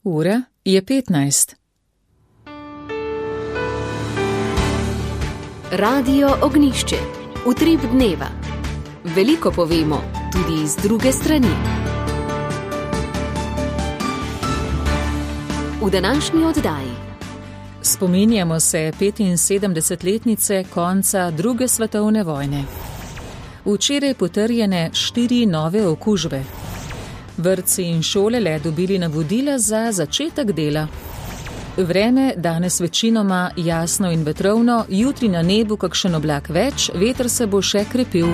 Ura je 15. Radio Ognjišče. Utrip dneva. Veliko povemo, tudi iz druge strani. V današnji oddaji spominjamo se 75-letnice konca druge svetovne vojne. Včeraj potrjene 4 nove okužbe. Vrtci in šole le dobili navodila za začetek dela. Vreme danes večinoma jasno in vetrovno, jutri na nebu kakšen oblak več, veter se bo še krepil.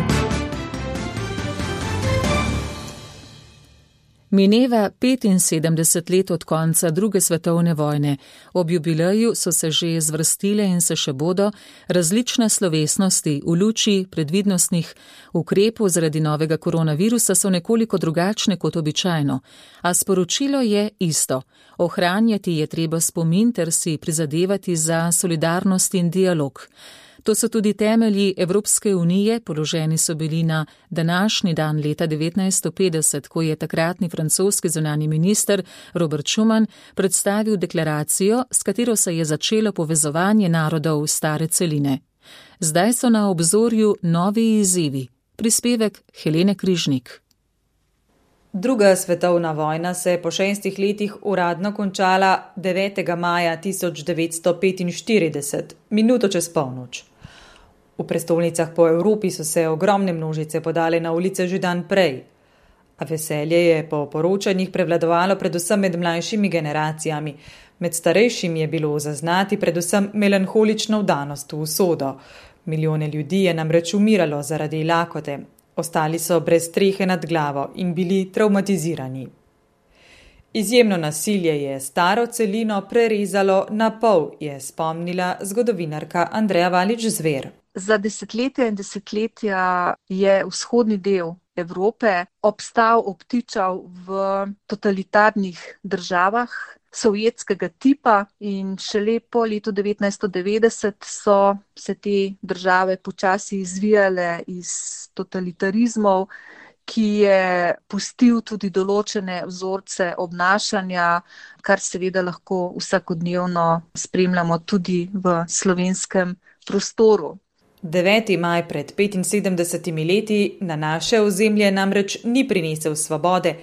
Mineva 75 let od konca druge svetovne vojne. Ob jubileju so se že zvrstile in se še bodo različne slovesnosti v luči predvidnostnih ukrepov zaradi novega koronavirusa so nekoliko drugačne kot običajno, a sporočilo je isto. Ohranjati je treba spomin ter si prizadevati za solidarnost in dialog. To so tudi temelji Evropske unije, položeni so bili na današnji dan leta 1950, ko je takratni francoski zunanji minister Robert Schuman predstavil deklaracijo, s katero se je začelo povezovanje narodov stare celine. Zdaj so na obzorju novi izzivi. Prispevek Helene Križnik. Druga svetovna vojna se je po 6 letih uradno končala 9. maja 1945, minuto čez polnoč. V prestolnicah po Evropi so se ogromne množice podale na ulice že dan prej, a veselje je po poročanjih prevladovalo predvsem med mlajšimi generacijami. Med starejšimi je bilo zaznati predvsem melanholično vdanost v usodo. Milijone ljudi je namreč umiralo zaradi lakote, ostali so brez strehe nad glavo in bili travmatizirani. Izjemno nasilje je staro celino prerezalo na pol, je spomnila zgodovinarka Andreja Valič-Zver. Za desetletja in desetletja je vzhodni del Evrope obtičal v totalitarnih državah sovjetskega tipa in šele po letu 1990 so se te države počasi izvijale iz totalitarizmov, ki je pustil tudi določene vzorce obnašanja, kar seveda lahko vsakodnevno spremljamo tudi v slovenskem prostoru. 9. maj pred 75 leti na naše ozemlje namreč ni prinesel svobode,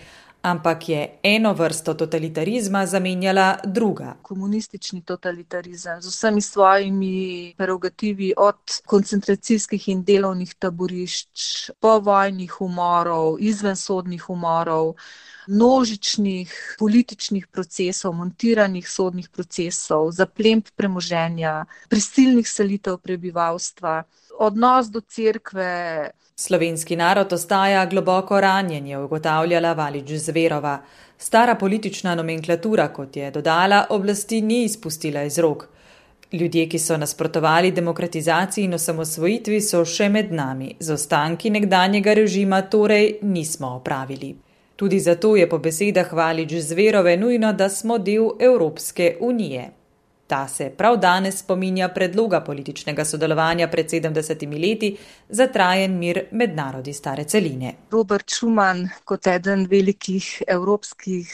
ampak je eno vrsto totalitarizma zamenjala druga. Komunistični totalitarizem z vsemi svojimi prerogativi od koncentracijskih in delovnih taborišč, povojnih umorov, izvensodnih umorov, množičnih političnih procesov, montiranih sodnih procesov, zaplemb premoženja, prisilnih selitev prebivalstva, odnos do cerkve. Slovenski narod ostaja globoko ranjen, je ugotavljala Valič-Zverova. Stara politična nomenklatura, kot je dodala, oblasti ni izpustila iz rok. Ljudje, ki so nasprotovali demokratizaciji in osamosvojitvi, so še med nami. Z ostanki nekdanjega režima torej nismo opravili. Tudi zato je po besedah Valič-Zverove nujno, da smo del Evropske unije. Ta se prav danes spominja predloga političnega sodelovanja pred 70 leti za trajen mir med narodi stare celine. Robert Schuman, kot eden velikih evropskih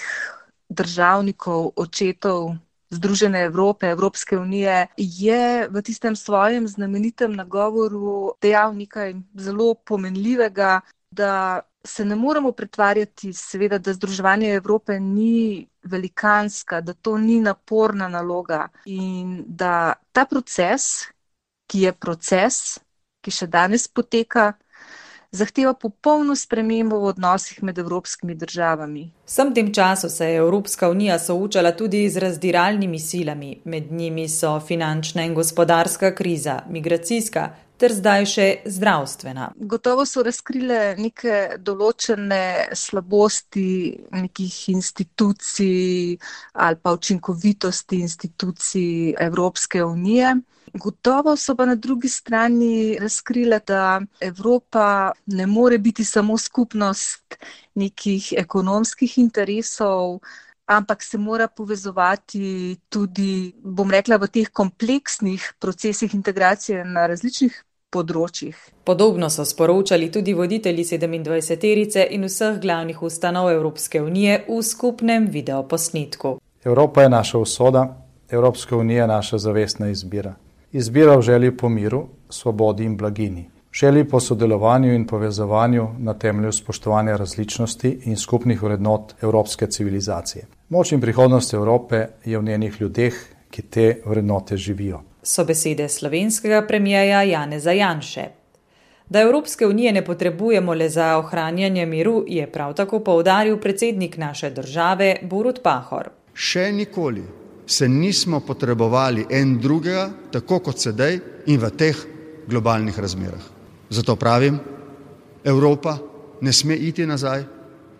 državnikov, očetov Združene Evrope, Evropske unije, je v tistem svojem znamenitem nagovoru dejal nekaj zelo pomenljivega, da se ne moremo pretvarjati, seveda, da združevanje Evrope ni velikanska, da to ni naporna naloga in da ta proces, ki še danes poteka, zahteva popolno spremembo v odnosih med evropskimi državami. Vsem tem času se je Evropska unija soočala tudi z razdiralnimi silami. Med njimi so finančna in gospodarska kriza, migracijska ter zdaj še zdravstvena. Gotovo so razkrile neke določene slabosti nekih institucij ali pa učinkovitosti institucij Evropske unije. Gotovo so pa na drugi strani razkrile, da Evropa ne more biti samo skupnost nekih ekonomskih interesov, ampak se mora povezovati tudi, bom rekla, v teh kompleksnih procesih integracije na različnih področjih. Podobno so sporočali tudi voditelji 27-terice in vseh glavnih ustanov Evropske unije v skupnem videoposnetku. Evropa je naša usoda, Evropska unija je naša zavestna izbira. Izbira v želji po miru, svobodi in blagini. Želji po sodelovanju in povezovanju na temelju spoštovanja različnosti in skupnih vrednot evropske civilizacije. Moč in prihodnost Evrope je v njenih ljudeh, ki te vrednote živijo. So besede slovenskega premijeja Janeza Janše. Da Evropske unije ne potrebujemo le za ohranjanje miru, je prav tako poudaril predsednik naše države Borut Pahor. Še nikoli se nismo potrebovali en drugega, tako kot sedaj in v teh globalnih razmerah. Zato pravim, Evropa ne sme iti nazaj,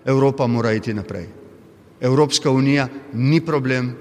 Evropa mora iti naprej. Evropska unija ni problem,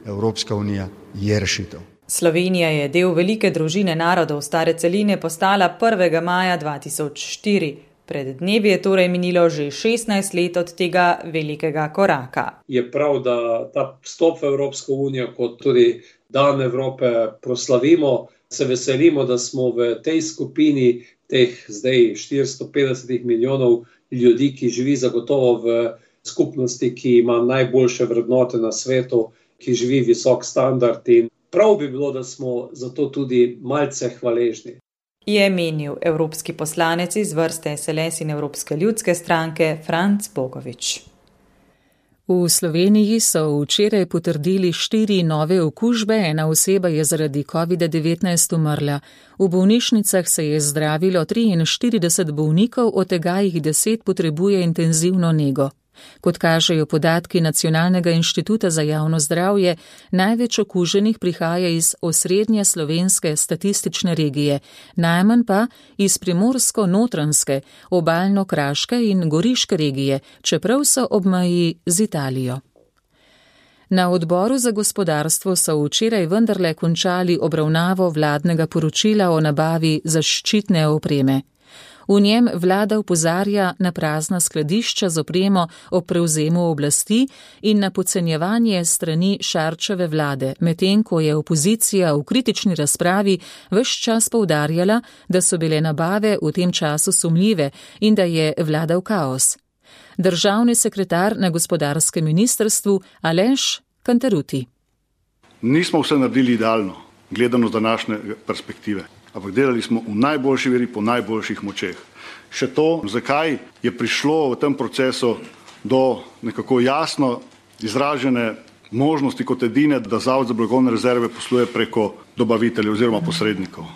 Evropska unija je rešitev. Slovenija je del velike družine narodov stare celine postala 1. maja 2004. Pred dnevi je torej minilo že 16 let od tega velikega koraka. Je prav, da ta vstop v Evropsko unijo kot tudi dan Evrope proslavimo. Se veselimo, da smo v tej skupini teh zdaj 450 milijonov ljudi, ki živi zagotovo v skupnosti, ki ima najboljše vrednote na svetu, ki živi visok standard in prav bi bilo, da smo zato tudi malce hvaležni. Je menil evropski poslanec iz vrste SLS in Evropske ljudske stranke Franc Bogovič. V Sloveniji so včeraj potrdili 4 nove okužbe, ena oseba je zaradi COVID-19 umrla. V bolnišnicah se je zdravilo 43 bolnikov, od tega jih 10 potrebuje intenzivno nego. Kot kažejo podatki Nacionalnega inštituta za javno zdravje, največ okuženih prihaja iz osrednje slovenske statistične regije, najmanj pa iz primorsko-notranjske, obalno-kraške in goriške regije, čeprav so ob meji z Italijo. Na odboru za gospodarstvo so včeraj vendarle končali obravnavo vladnega poročila o nabavi zaščitne opreme. V njem vlada opozarja na prazna skladišča z opremo o prevzemu oblasti in na podcenjevanje strani Šarčeve vlade, medtem ko je opozicija v kritični razpravi ves čas poudarjala, da so bile nabave v tem času sumljive in da je vladal kaos. Državni sekretar na gospodarskem ministrstvu Aleš Kantaruti. Nismo vse naredili idealno, gledano z današnje perspektive. Ampak delali smo v najboljši veri po najboljših močeh. Še to, zakaj je prišlo v tem procesu do nekako jasno izražene možnosti kot edine, da Zavod za blagovne rezerve posluje preko dobaviteljev oziroma posrednikov.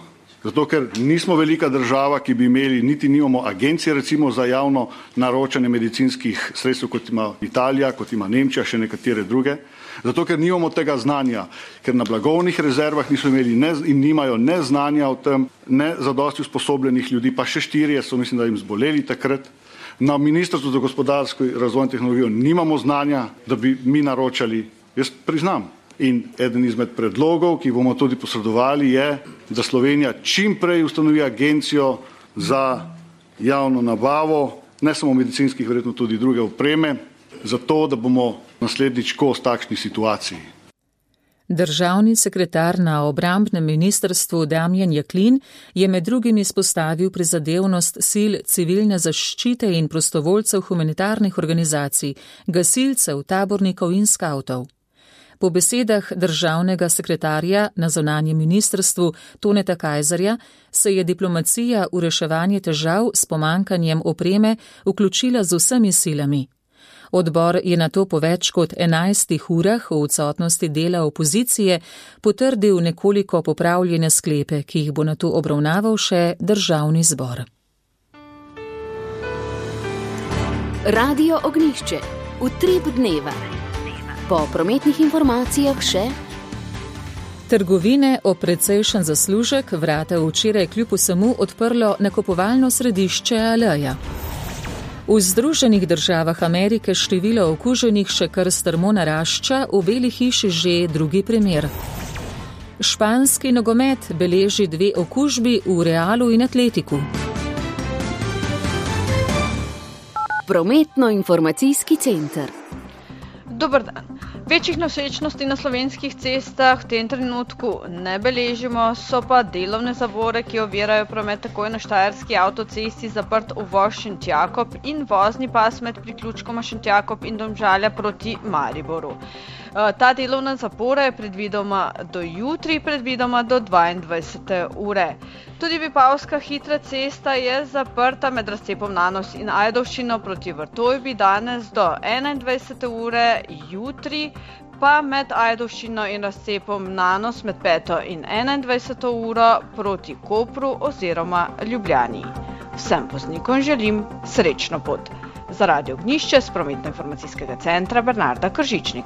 Zato, ker nismo velika država, ki bi imeli, niti nimamo agencije recimo za javno naročanje medicinskih sredstev, kot ima Italija, kot ima Nemčija, še nekatere druge. Zato, ker nimamo tega znanja, ker na blagovnih rezervah niso imeli in nimajo ne znanja o tem, ne zadosti usposobljenih ljudi, pa še 4 so, mislim, da jim zboleli takrat. Na Ministrstvu za gospodarsko razvoj in tehnologijo nimamo znanja, da bi mi naročali, jaz priznam. In eden izmed predlogov, ki bomo tudi posredovali, je, da Slovenija čim prej ustanovi agencijo za javno nabavo, ne samo medicinskih, verjetno tudi druge opreme, zato, da bomo naslednjič kos takšni situaciji. Državni sekretar na obrambnem ministrstvu Damjan Jaklin je med drugim izpostavil prizadevnost sil civilne zaščite in prostovoljcev humanitarnih organizacij, gasilcev, tabornikov in skavtov. Po besedah državnega sekretarja na zunanjem ministrstvu Toneta Kajzerja se je diplomacija v reševanje težav s pomanjkanjem opreme vključila z vsemi silami. Odbor je nato po več kot 11 urah v odsotnosti dela opozicije potrdil nekoliko popravljene sklepe, ki jih bo nato obravnaval še državni zbor. Radio Ognjišče. Utrip dneva. Po prometnih informacijah še. Trgovine ob precejšen zaslužek vrata včeraj kljub vsemu odprlo nakupovalno središče Aleja. V Združenih državah Amerike število okuženih še kar strmo narašča, v Beli hiši že drugi primer. Španski nogomet beleži 2 okužbi v Realu in Atletiku. Prometno-informacijski center. Dober dan. Večjih nosečnosti na slovenskih cestah v tem trenutku ne beležimo, so pa delovne zavore, ki ovirajo promet takoj na Štajerski avtocesti zaprt uvoz Šentjakob in vozni pas med priključkoma Šentjakob in Domžalja proti Mariboru. Ta delovna zapora je predvidoma do jutri, predvidoma do 22. ure. Tudi Vipavska hitra cesta je zaprta med razcepom Nanos in Ajdovščino proti Vrtojbi danes do 21. ure, jutri pa med Ajdovščino in razcepom Nanos med 5. in 21. uro proti Kopru oziroma Ljubljani. Vsem voznikom želim srečno pot. Za Radio Ognjišče s Prometno-informacijskega centra Bernarda Kržičnik.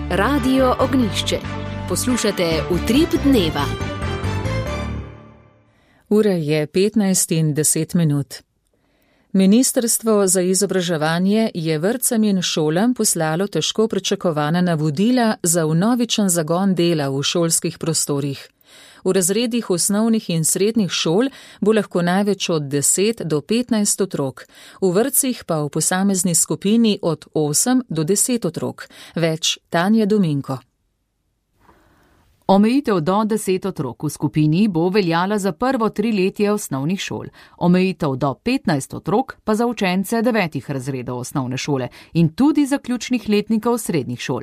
Radio Ognjišče. Poslušate Utrip dneva. Ura je 15:10. Ministrstvo za izobraževanje je vrtcem in šolam poslalo težko pričakovana navodila za vnovičen zagon dela v šolskih prostorih. V razredih osnovnih in srednjih šol bo lahko največ od 10 do 15 otrok, v vrtcih pa v posamezni skupini od 8 do 10 otrok. Več Tanja Dominko. Omejitev do 10 otrok v skupini bo veljala za prvo 3-letje osnovnih šol, omejitev do 15 otrok pa za učence 9 razredov osnovne šole in tudi zaključnih letnikov srednjih šol.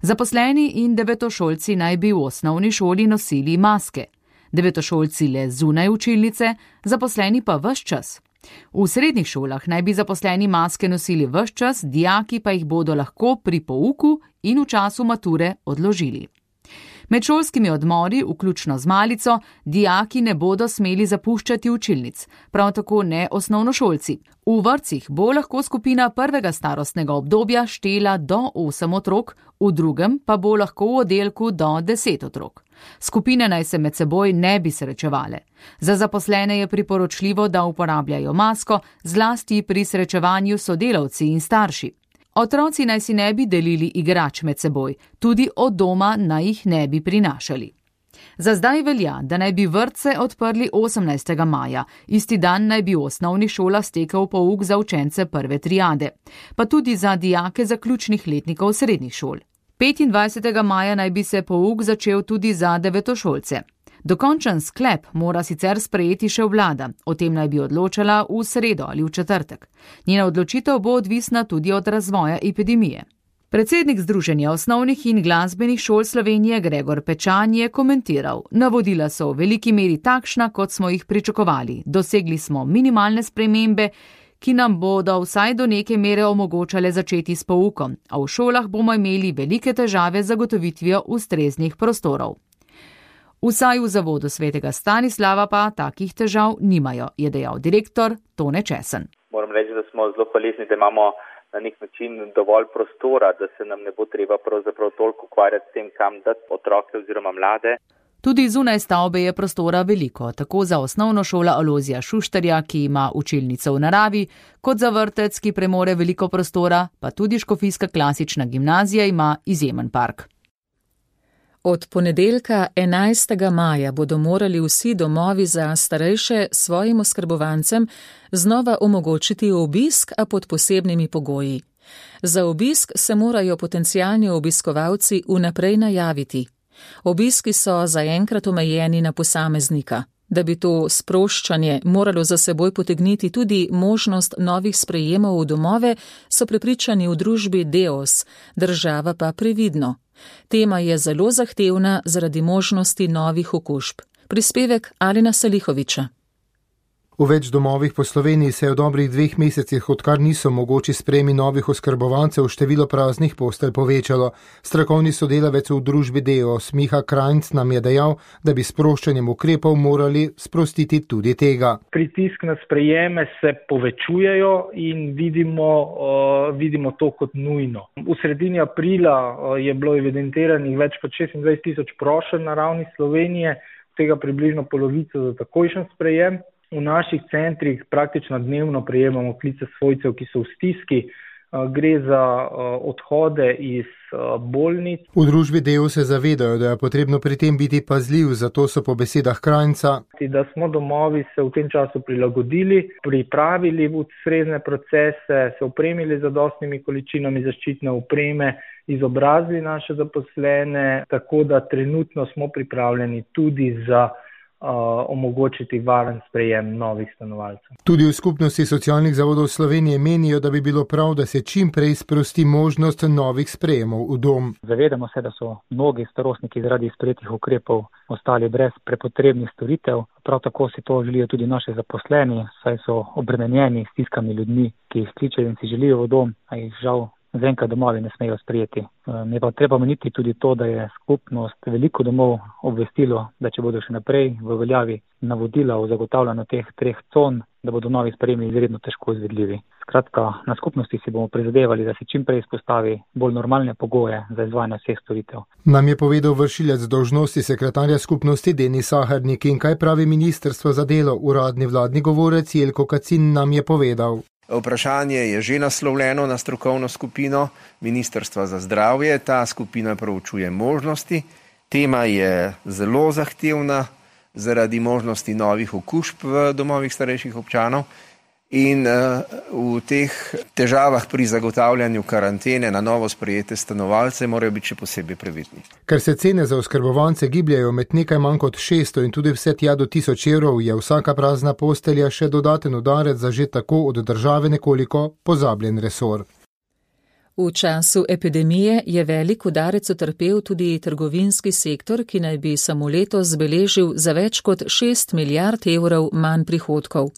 Zaposleni in devetošolci naj bi v osnovni šoli nosili maske, devetošolci le zunaj učilnice, zaposleni pa ves čas. V srednjih šolah naj bi zaposleni maske nosili ves čas, dijaki pa jih bodo lahko pri pouku in v času mature odložili. Med šolskimi odmori, vključno z malico, dijaki ne bodo smeli zapuščati učilnic, prav tako ne osnovnošolci. V vrtcih bo lahko skupina prvega starostnega obdobja štela do 8 otrok, v drugem pa bo lahko v oddelku do 10 otrok. Skupine naj se med seboj ne bi srečevale. Za zaposlene je priporočljivo, da uporabljajo masko, zlasti pri srečevanju s sodelavci in starši. Otroci naj si ne bi delili igrač med seboj, tudi od doma naj jih ne bi prinašali. Za zdaj velja, da naj bi vrtce odprli 18. maja, isti dan naj bi v osnovnih šolah stekel pouk za učence prve triade, pa tudi za dijake zaključnih letnikov srednjih šol. 25. maja naj bi se pouk začel tudi za devetošolce. Dokončen sklep mora sicer sprejeti še vlada, o tem naj bi odločala v sredo ali v četrtek. Njena odločitev bo odvisna tudi od razvoja epidemije. Predsednik Združenja osnovnih in glasbenih šol Slovenije Gregor Pečan je komentiral: navodila so v veliki meri takšna, kot smo jih pričakovali. Dosegli smo minimalne spremembe, ki nam bodo vsaj do neke mere omogočale začeti s poukom, a v šolah bomo imeli velike težave z zagotovitvijo ustreznih prostorov. Vsaj v zavodu Svetega Stanislava pa takih težav nimajo, je dejal direktor Tone Česen. Moram reči, da smo zelo hvaležni, da imamo na nek način dovolj prostora, da se nam ne bo treba pravzaprav toliko ukvarjati s tem, kam dati otroke oziroma mlade. Tudi zunaj stavbe je prostora veliko, tako za osnovno šola Alojzija Šuštarja, ki ima učilnico v naravi, kot za vrtec, ki premore veliko prostora, pa tudi Škofijska klasična gimnazija ima izjemen park. Od ponedeljka 11. maja bodo morali vsi domovi za starejše svojim oskrbovancem znova omogočiti obisk, a pod posebnimi pogoji. Za obisk se morajo potencialni obiskovalci vnaprej najaviti. Obiski so zaenkrat omejeni na posameznika. Da bi to sproščanje moralo za seboj potegniti tudi možnost novih sprejemov v domove, so prepričani v družbi Deos, država pa previdno. Tema je zelo zahtevna zaradi možnosti novih okužb. Prispevek Alena Salihoviča. V več domovih po Sloveniji se je v dobrih 2 mesecih, odkar niso mogoči sprejemi novih oskrbovancev, število praznih postelj povečalo. Strokovni sodelavec v družbi Deos Miha Krajnc nam je dejal, da bi s sproščanjem ukrepov morali sprostiti tudi tega. Pritisk na sprejeme se povečujejo in vidimo to kot nujno. V sredini aprila je bilo evidentiranih več kot 26,000 prošenj na ravni Slovenije, tega približno polovico za takojšen sprejem. V naših centrih praktično dnevno prejemamo klice svojcev, ki so v stiski. Gre za odhode iz bolnic. V družbi Deos se zavedajo, da je potrebno pri tem biti pazljiv, zato so po besedah Krajnca, da smo domovi se v tem času prilagodili, pripravili ustrezne procese, se opremili z zadostnimi količinami zaščitne opreme, izobrazili naše zaposlene, tako da trenutno smo pripravljeni tudi za omogočiti varen sprejem novih stanovalcev. Tudi v skupnosti socialnih zavodov Slovenije menijo, da bi bilo prav, da se čim prej sprosti možnost novih sprejemov v dom. Zavedamo se, da so mnogi starostniki zaradi sprejetih ukrepov ostali brez prepotrebnih storitev. Prav tako si to želijo tudi naši zaposleni, saj so obremenjeni s stiskami ljudmi, ki jih kličejo in si želijo v dom, a jih žal zaenkrat domovi ne smejo sprejeti. Je pa treba omeniti tudi to, da je skupnost veliko domov obvestilo, da če bodo še naprej v veljavi navodila o zagotavljanju teh 3 con, da bodo novi sprejemi izredno težko izvedljivi. Skratka, na skupnosti si bomo prizadevali, da se čim prej izpostavi bolj normalne pogoje za izvajanje vseh storitev. Nam je povedal vršilec dolžnosti sekretarja skupnosti Denis Sahernik. In kaj pravi Ministrstvo za delo? Uradni vladni govorec Jelko Kacin nam je povedal. Vprašanje je že naslovljeno na strokovno skupino Ministrstva za zdravje. Ta skupina proučuje možnosti. Tema je zelo zahtevna zaradi možnosti novih okužb v domovih starejših občanov in v teh težavah pri zagotavljanju karantene na novo sprejete stanovalce morajo biti še posebej previdni. Ker se cene za oskrbovance gibljajo med nekaj manj kot 600 in tudi vse tja do 1000 evrov, je vsaka prazna postelja še dodaten udarec za že tako od države nekoliko pozabljen resor. V času epidemije je velik udarec utrpel tudi trgovinski sektor, ki naj bi samo letos beležil za več kot 6 milijard evrov manj prihodkov.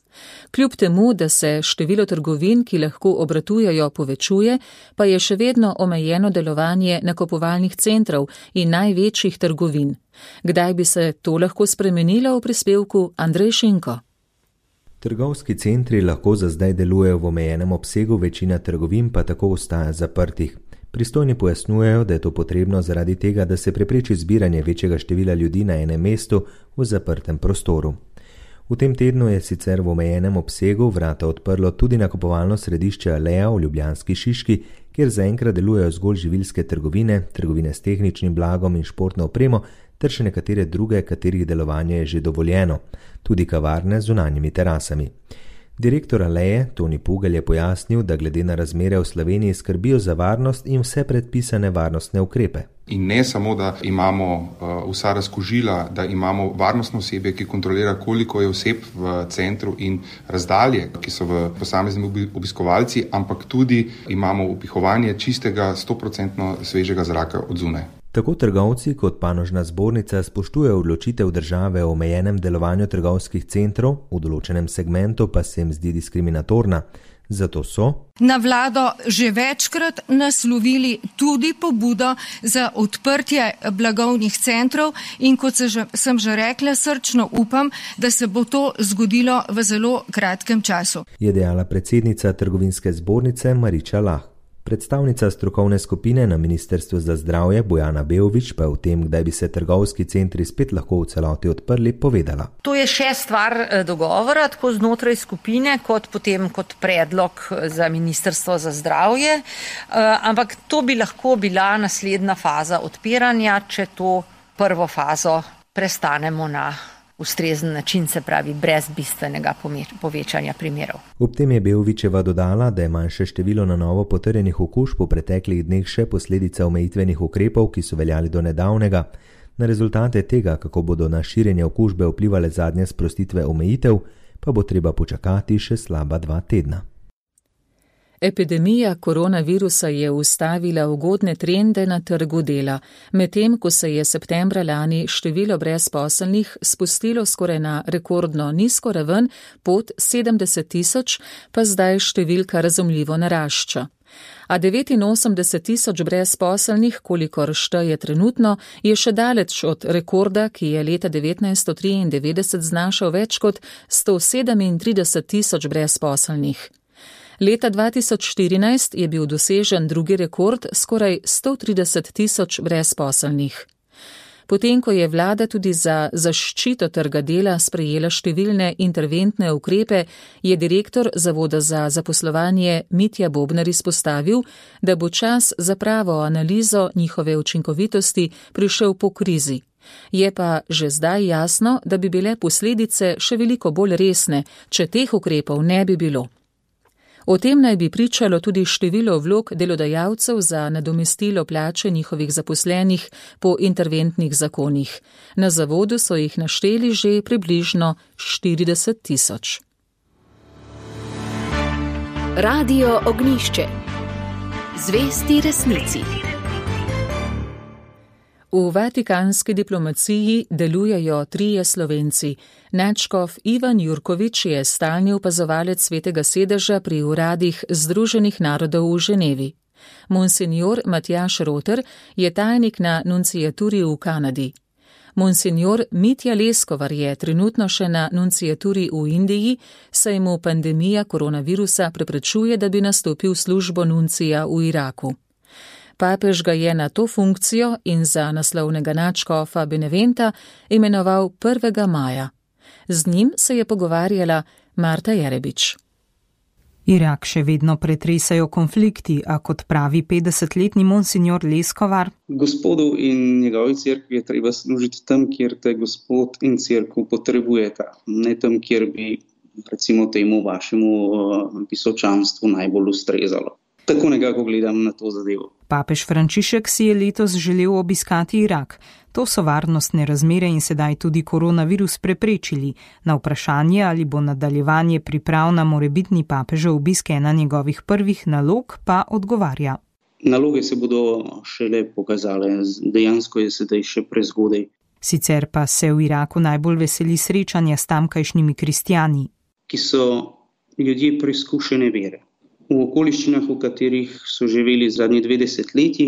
Kljub temu, da se število trgovin, ki lahko obratujejo, povečuje, pa je še vedno omejeno delovanje nakupovalnih centrov in največjih trgovin. Kdaj bi se to lahko spremenilo, v prispevku Andrej Šinko. Trgovski centri lahko za zdaj delujejo v omejenem obsegu, večina trgovin pa tako ostaja zaprtih. Pristojni pojasnjujejo, da je to potrebno zaradi tega, da se prepreči zbiranje večjega števila ljudi na enem mestu v zaprtem prostoru. V tem tednu je sicer v omejenem obsegu vrata odprlo tudi nakupovalno središče Aleja v ljubljanski Šiški, kjer zaenkrat delujejo zgolj živilske trgovine, trgovine s tehničnim blagom in športno opremo, ter še nekatere druge, katerih delovanje je že dovoljeno, tudi kavarne z zunanjimi terasami. Direktor Aleje, Toni Pugelj, je pojasnil, da glede na razmere v Sloveniji skrbijo za varnost in vse predpisane varnostne ukrepe. In ne samo, da imamo vsa razkužila, da imamo varnostno osebje, ki kontrolira, koliko je oseb v centru in razdalje, ki so v posamezni obiskovalci, ampak tudi imamo upihovanje čistega 100% svežega zraka od zunaj. Tako trgovci kot panožna zbornica spoštujejo odločitev države o omejenem delovanju trgovskih centrov, v določenem segmentu pa se jim zdi diskriminatorna. Zato so na vlado že večkrat naslovili tudi pobudo za odprtje blagovnih centrov in kot sem že rekla, srčno upam, da se bo to zgodilo v zelo kratkem času. Je dejala predsednica trgovinske zbornice Mariča Lah. Predstavnica strokovne skupine na Ministrstvu za zdravje Bojana Beovič pa je o tem, kdaj bi se trgovski centri spet lahko v celoti odprli, povedala. To je še stvar dogovora, tako znotraj skupine, kot potem kot predlog za Ministrstvo za zdravje, ampak to bi lahko bila naslednja faza odpiranja, če to prvo fazo prestanemo na ustrezen način, se pravi brez bistvenega povečanja primerov. Ob tem je Beovičeva dodala, da je manjše število na novo potrjenih okužb v preteklih dneh še posledica omejitvenih ukrepov, ki so veljali do nedavnega. Na rezultate tega, kako bodo na širjenje okužbe vplivale zadnje sprostitve omejitev, pa bo treba počakati še slaba 2 tedna. Epidemija koronavirusa je ustavila ugodne trende na trgu dela, medtem ko se je septembra lani število brezposelnih spustilo skoraj na rekordno nizko raven pod 70 tisoč, pa zdaj številka razumljivo narašča. A 89 tisoč brezposelnih, kolikor šteje trenutno, je še daleč od rekorda, ki je leta 1993 znašal več kot 137 tisoč brezposelnih. Leta 2014 je bil dosežen drugi rekord, skoraj 130 tisoč brezposelnih. Potem, ko je vlada tudi za zaščito trga dela sprejela številne interventne ukrepe, je direktor Zavoda za zaposlovanje Mitja Bobnar izpostavil, da bo čas za pravo analizo njihove učinkovitosti prišel po krizi. Je pa že zdaj jasno, da bi bile posledice še veliko bolj resne, če teh ukrepov ne bi bilo. O tem naj bi pričalo tudi število vlog delodajalcev za nadomestilo plače njihovih zaposlenih po interventnih zakonih. Na zavodu so jih našteli že približno 40 000. Radio Ognjišče. Zvesti resnici. V vatikanski diplomaciji delujejo 3 Slovenci. Nadškof Ivan Jurkovič je stalni opazovalec Svetega sedeža pri uradih Združenih narodov v Ženevi. Monsignor Matjaž Roter je tajnik na nunciaturi v Kanadi. Monsignor Mitja Leskovar je trenutno še na nunciaturi v Indiji, saj mu pandemija koronavirusa preprečuje, da bi nastopil službo nuncija v Iraku. Papež ga je na to funkcijo in za naslovnega nadškofa Beneventa imenoval 1. maja. Z njim se je pogovarjala Marta Jerebič. Irak še vedno pretresajo konflikti, a kot pravi 50-letni monsignor Leskovar. Gospodu in njegovi cerkvi je treba služiti tam, kjer te gospod in cerkev potrebujeta, ne tam, kjer bi recimo temu vašemu visočanstvu najbolj ustrezalo. Tako nekako gledam na to zadevo. Papež Frančišek si je letos želel obiskati Irak. To so varnostne razmere in sedaj tudi koronavirus preprečili. Na vprašanje, ali bo nadaljevanje priprav na morebitni papežev obisk ena njegovih prvih nalog, pa odgovarja. Naloge se bodo šele pokazale, dejansko je sedaj še prezgodaj. Sicer pa se v Iraku najbolj veseli srečanja s tamkajšnjimi kristjani. Ki so ljudje preizkušene vere. V okoliščinah, v katerih so živeli zadnji 20 leti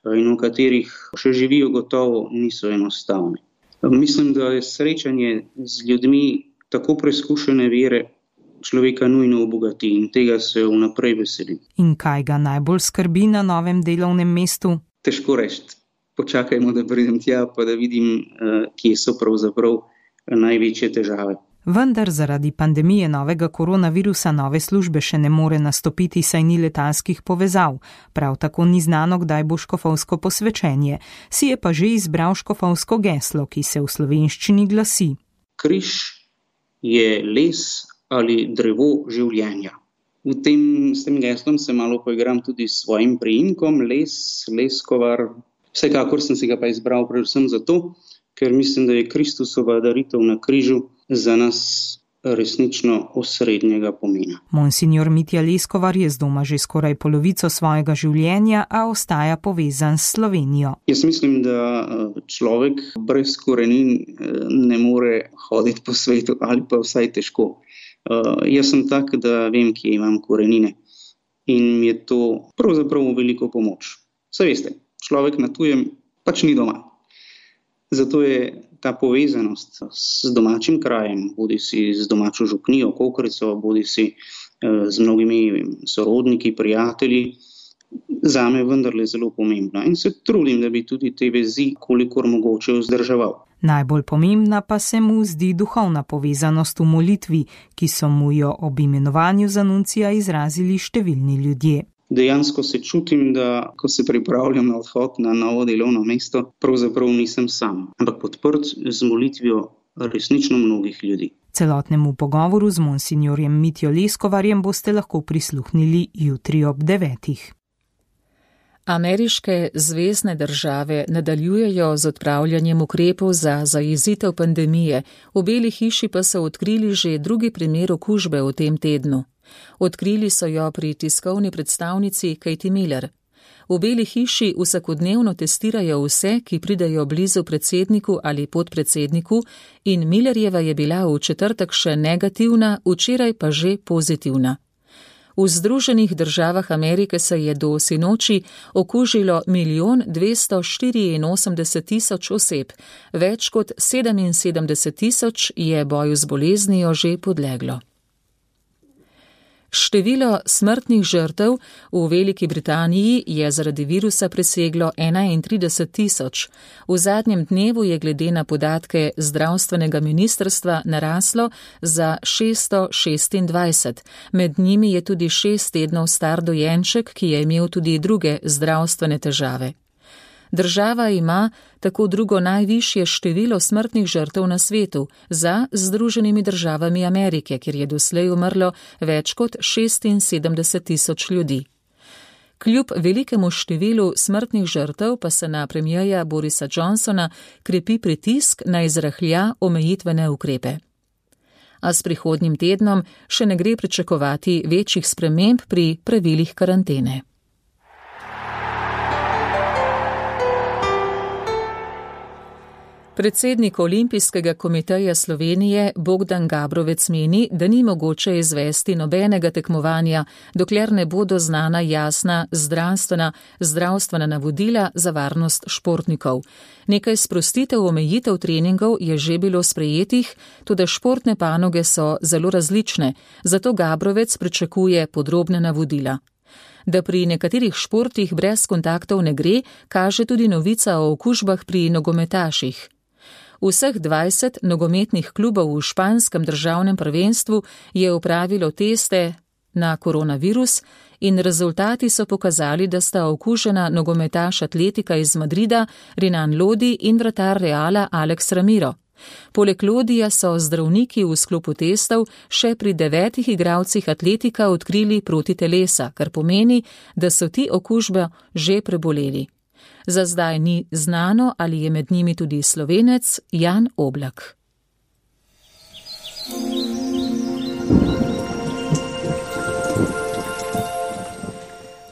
in v katerih še živijo, gotovo niso enostavni. Mislim, da je srečanje z ljudmi tako preizkušene vere človeka nujno obogati in tega se vnaprej veselim. In kaj ga najbolj skrbi na novem delovnem mestu? Težko reči. Počakajmo, da pridem tja, pa da vidim, kje so pravzaprav največje težave. Vendar zaradi pandemije novega koronavirusa nove službe še ne more nastopiti, saj ni letalskih povezav. Prav tako ni znano, kdaj bo škofovsko posvečenje. Si je pa že izbral škofovsko geslo, ki se v slovenščini glasi. Križ je les ali drevo življenja. S tem geslom se malo poigram tudi s svojim priimkom, Leskovar. Vsekakor sem si ga pa izbral predvsem zato, ker mislim, da je Kristusova daritev na križu za nas resnično osrednjega pomena. Monsignor Mitja Leskovar je z doma že skoraj polovico svojega življenja, a ostaja povezan s Slovenijo. Jaz mislim, da človek brez korenin ne more hoditi po svetu ali pa vsaj težko. Jaz sem tak, da vem, kje imam korenine in mi je to pravzaprav veliko pomoč. Saj veste, človek na tujem pač ni doma. Zato je ta povezanost s domačim krajem, bodi si z domačo župnijo, Kokrico, bodi si z mnogimi sorodniki, prijatelji, zame vendarle zelo pomembna. In se trudim, da bi tudi te vezi kolikor mogoče vzdrževal. Najbolj pomembna pa se mu zdi duhovna povezanost v molitvi, ki so mu jo ob imenovanju za nuncija izrazili številni ljudje. Dejansko se čutim, da ko se pripravljam na odhod na novo delovno mesto, pravzaprav nisem sam, ampak podprt z molitvijo resnično mnogih ljudi. Celotnemu pogovoru z monsignorjem Mitjo Leskovarjem boste lahko prisluhnili jutri ob 9. Ameriške zvezne države nadaljujejo z odpravljanjem ukrepov za zajezitev pandemije, v Beli hiši pa so odkrili že drugi primer okužbe v tem tednu. Odkrili so jo pri tiskovni predstavnici Katie Miller. V Beli hiši vsakodnevno testirajo vse, ki pridejo blizu predsedniku ali podpredsedniku, in Millerjeva je bila v četrtek še negativna, včeraj pa že pozitivna. V Združenih državah Amerike se je do sinoči okužilo 1 284 000 oseb, več kot 77 000 je boju z boleznijo že podleglo. Število smrtnih žrtev v Veliki Britaniji je zaradi virusa preseglo 31 000. V zadnjem dnevu je glede na podatke zdravstvenega ministrstva naraslo za 626. Med njimi je tudi 6 tednov star dojenček, ki je imel tudi druge zdravstvene težave. Država ima tako drugo najvišje število smrtnih žrtev na svetu za Združenimi državami Amerike, kjer je doslej umrlo več kot 76 tisoč ljudi. Kljub velikemu številu smrtnih žrtev pa se na premierja Borisa Johnsona krepi pritisk na izrahlja omejitvene ukrepe. A s prihodnjim tednom še ne gre pričakovati večjih sprememb pri pravilih karantene. Predsednik Olimpijskega komiteja Slovenije Bogdan Gabrovec meni, da ni mogoče izvesti nobenega tekmovanja, dokler ne bodo znana jasna zdravstvena navodila za varnost športnikov. Nekaj sprostitev omejitev treningov je že bilo sprejetih, toda športne panoge so zelo različne, zato Gabrovec pričakuje podrobne navodila. Da pri nekaterih športih brez kontaktov ne gre, kaže tudi novica o okužbah pri nogometaših. Vseh 20 nogometnih klubov v španskem državnem prvenstvu je opravilo teste na koronavirus in rezultati so pokazali, da sta okužena nogometaš Atletika iz Madrida Renan Lodi in vratar Reala Alex Ramiro. Poleg Lodija so zdravniki v sklopu testov še pri 9 igralcih Atletika odkrili protitelesa, kar pomeni, da so ti okužbe že preboleli. Za zdaj ni znano, ali je med njimi tudi Slovenec Jan Oblak.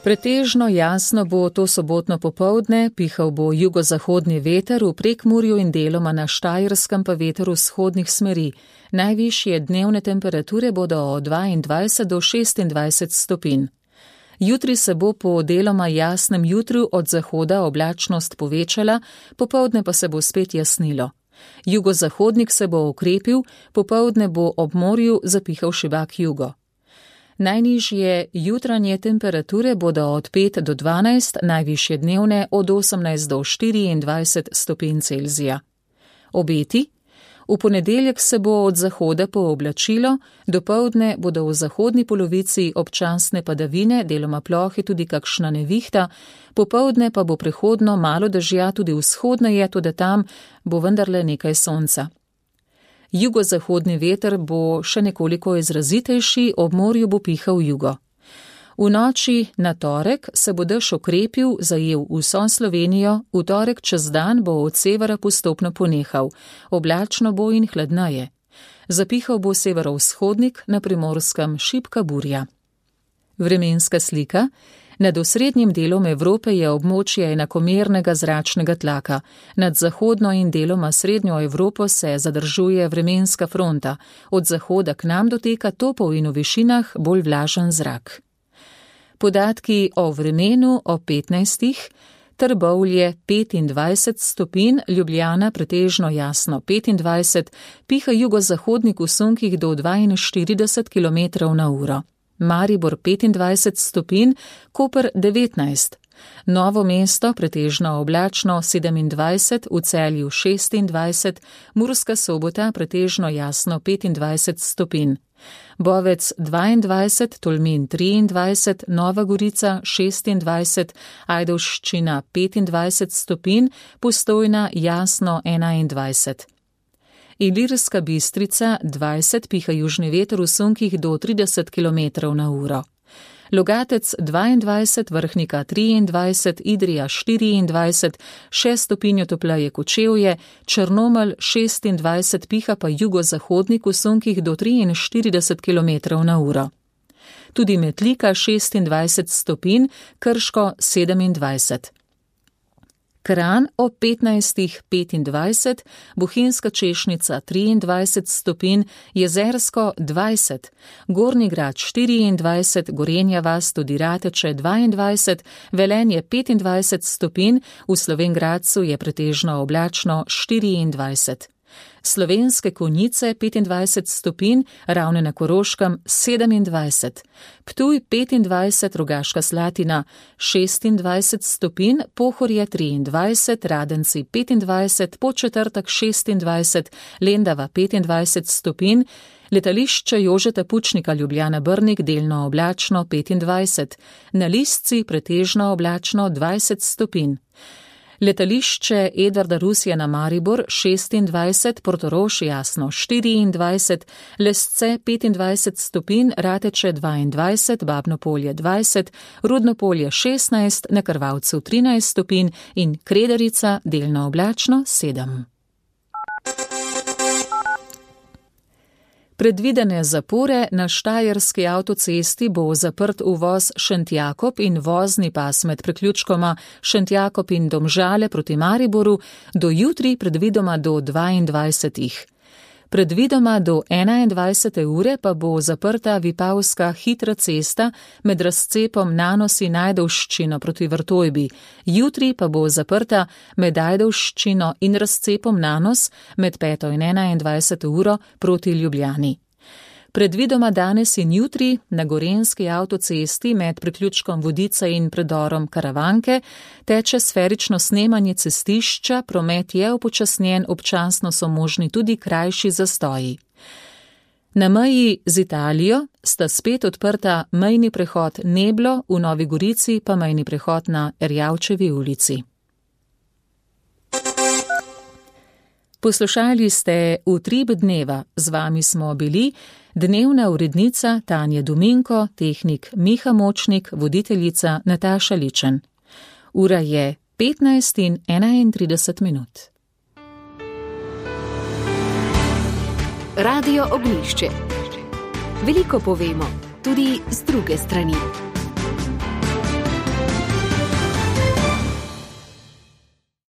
Pretežno jasno bo to sobotno popoldne, pihal bo jugozahodni veter v Prekmurju in deloma na Štajerskem pa veter vzhodnih smeri. Najvišje dnevne temperature bodo od 22 do 26 stopinj. Jutri se bo po deloma jasnem jutru od zahoda oblačnost povečala, popoldne pa se bo spet jasnilo. Jugozahodnik se bo okrepil, popoldne bo ob morju zapihal šibak jugo. Najnižje jutranje temperature bodo od 5 do 12, najvišje dnevne od 18 do 24 stopinj Celzija. Obeti? V ponedeljek se bo od zahoda pooblačilo, dopoldne bodo v zahodni polovici občasne padavine, deloma plohe tudi kakšna nevihta, popoldne pa bo prehodno malo dežja tudi vzhodneje, tudi tam bo vendarle nekaj sonca. Jugozahodni veter bo še nekoliko izrazitejši, ob morju bo pihal jugo. V noči na torek se bo dež okrepil, zajel vso Slovenijo, v torek čez dan bo od severa postopno ponehal, oblačno bo in hladneje. Zapihal bo severovzhodnik, na Primorskem šibka burja. Vremenska slika. Nad osrednjim delom Evrope je območje enakomernega zračnega tlaka. Nad zahodno in deloma srednjo Evropo se zadržuje vremenska fronta. Od zahoda k nam doteka topov in v višinah bolj vlažen zrak. Podatki o vremenu o 15. Trbovlje 25 stopinj, Ljubljana pretežno jasno 25, piha jugozahodnik v sunkih do 42 km/h. Maribor 25 stopinj, Koper 19. Novo mesto pretežno oblačno 27, v Celju 26, Murska Sobota pretežno jasno 25 stopinj. Bovec 22, Tolmin 23, Nova Gorica 26, Ajdovščina 25 stopinj, Postojna jasno 21. Ilirska Bistrica 20, piha južni veter v sunkih do 30 km/h. Logatec 22, Vrhnika 23, Idrija 24, 6 stopinj topleje Kočevje, Črnomelj 26, piha pa jugozahodnik v sunkih do 43 km/h. Tudi Metlika 26 stopinj, Krško 27. Kranj ob 15:25, Bohinjska Češnica 23 stopinj, Jezersko 20, Gornji Grad 24, Gorenja vas tudi Rateče 22, Velenje 25 stopinj, v Slovenj Gradcu je pretežno oblačno 24. Slovenske Konjice 25 stopinj, Ravne na Koroškem 27, Ptuj 25, Rogaška Slatina 26 stopinj, Pohorje 23, Radenci 25, Podčetrtek 26, Lendava 25 stopinj, Letališče Jožeta Pučnika Ljubljana Brnik delno oblačno 25, na Lisci pretežno oblačno 20 stopinj. Letališče Edvarda Rusjana Maribor 26, Portorož jasno 24, Lesce 25 stopinj, Rateče 22, Babno Polje 20, Rudno Polje 16, na Krvavcu 13 stopinj in Kredarica delno oblačno 7. Predvidene zapore na Štajerski avtocesti bo zaprt uvoz Šentjakob in vozni pas med priključkoma Šentjakob in Domžale proti Mariboru do jutri predvidoma do 22. Predvidoma do 21. ure pa bo zaprta Vipavska hitra cesta med razcepom Nanosi-Ajdovščino proti Vrtojbi. Jutri pa bo zaprta med Ajdovščino in razcepom Nanos med 5. in 21. uro proti Ljubljani. Predvidoma danes in jutri na Gorenjski avtocesti med priključkom Vodice in predorom Karavanke teče sferično snemanje cestišča, promet je upočasnjen, občasno so možni tudi krajši zastoji. Na meji z Italijo sta spet odprta mejni prehod Neblo, v Novi Gorici pa mejni prehod na Erjavčevi ulici. Poslušali ste Utrip dneva, z vami smo bili dnevna urednica Tanja Dominko, tehnik Miha Močnik, voditeljica Nataša Ličen. Ura je 15:31 minut. Radio Ognjišče. Veliko povemo, tudi z druge strani.